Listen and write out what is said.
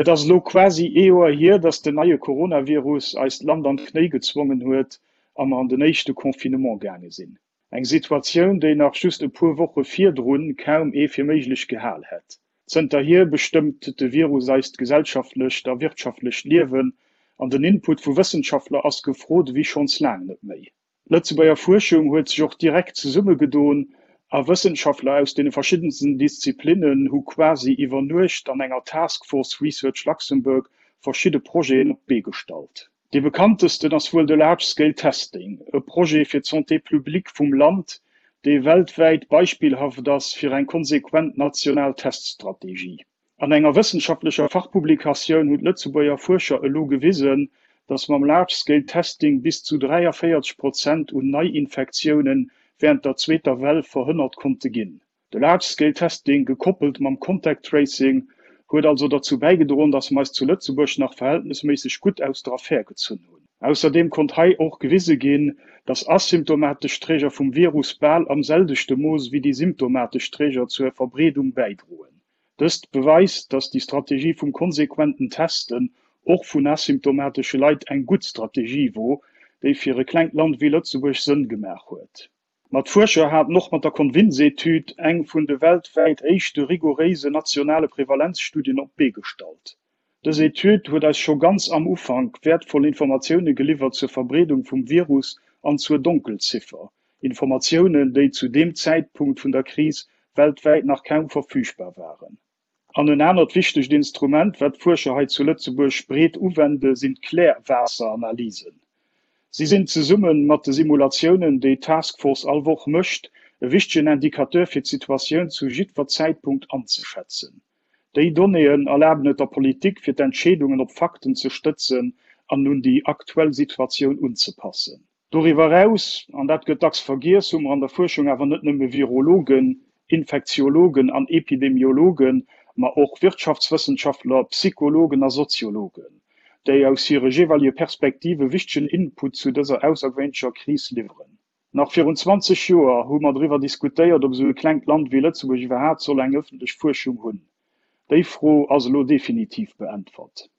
Et ass elo quasi ee Joer hier, dass den neie Coronavirus eist Land an d'Knéi gezwongen huet a mer an den éischte Confinement gaange sinn. Eng Situatioun, déi nach just e puer Woche virdrun kaum ee fir méiglech gehal hätt. Zënterhier bestëmmt de Virus eist gesellschaftlecht a wirtschaftlecht Liewen an den Input vu Wëssenschaftler ass gefrot ewéi schonns laang net méi. D'Lëtzebuerger Fuerschung huet sech och direkt zesummegedoen a Wëssenschaftler aus deene verschiddensten Disziplinnen hu quasi iwwer Nuecht an enger Task Force Research Luxembourg verschidde Projeten op d'Bee gestallt. Dee bekanntesten ass wuel de Large Scale Testing, e Projet fir d'Santé publique vum Land, dee weltwäit beispillhaft ass fir eng konsequent national Teststrategie. An enger wëssenschaftlecher Fachpublikatioun hunn d'Lëtzebuerger Fuerscher elo gewisen, datt mam Large Scale Testing bis zu 43 Prozent un Neiinfektioune wärend der zweeter Well verhënnert konnte ginn. De Large Scale Testing, gekoppelt mam Contact Tracing, huet also derzou bäigedroen, datt mer eis zu Lëtzebuerg nach verhältnesméisseg gutt aus der Affär gezunn hunn. Ausserdeem konnt hei och gewise ginn, datt asymptomatesch Träger vum Virus bal am selwechte Mooss wéi déi symptomatesch Träger zur Verbreedung bäidroen. Dëst beweist, datt déi Strategie vum konsequenten Testen och vun asymptomatesche Leit eng gutt Strategie wor, déi fir e klengt Land wéi Lëtzebuerg Sënn gemaach huet. Ma d'Fuerscher haten och mat der Convince-Etüd eng vun de weltwäit éischte rigouréisen nationale Prevalenzstudien op d'Bee gestallt. Dës Etüd huet eis scho ganz am Ufank wäertvoll Informatioune geliwwert zur Verbreedung vum Virus an zur Donkelziffer, Informatiounen, déi zu deem Zäitpunkt vun der Kris weltwäit nach kaum verfügbar waren. An en anert wichtegt Instrument, wat d'Fuerscher hei zu Lëtzebuerg breet uwende sinn d'Klärwaasseranalysen. Si sinn zesumme mat de Simulatiounen, déi d'Task Force all Woch mécht, e wichtegen Indicateur fir d'Situatioun zu jiddwer Zäitpunkt anzeschätzen. Déi Donnéeën erlaben et der Politik, fir d'Entscheedungen op Fakten ze stëtzen an un déi aktuell Situatioun unzepassen. Doriwwer eraus, an dat gëtt dacks vergiess, hu mer an der Fuerschung awer net nëmme Virologen, Infektiologen an Epidemiologen, ma och Wirtschaftswëssenschaftler, Psychologen a Soziologen, déi aus hire jeeweilige Perspektive wichtegen Input zu dëser aussergewéinlecher Kris liwweren. Nach virun 20 Joer hu mer driwwer diskutéiert, ob esou e klengt Land wéi Lëtzebuerg iwwerhaapt soll eng ëffentlech Fuerschung hunn. Déi Fro ass elo definitiv beäntwert.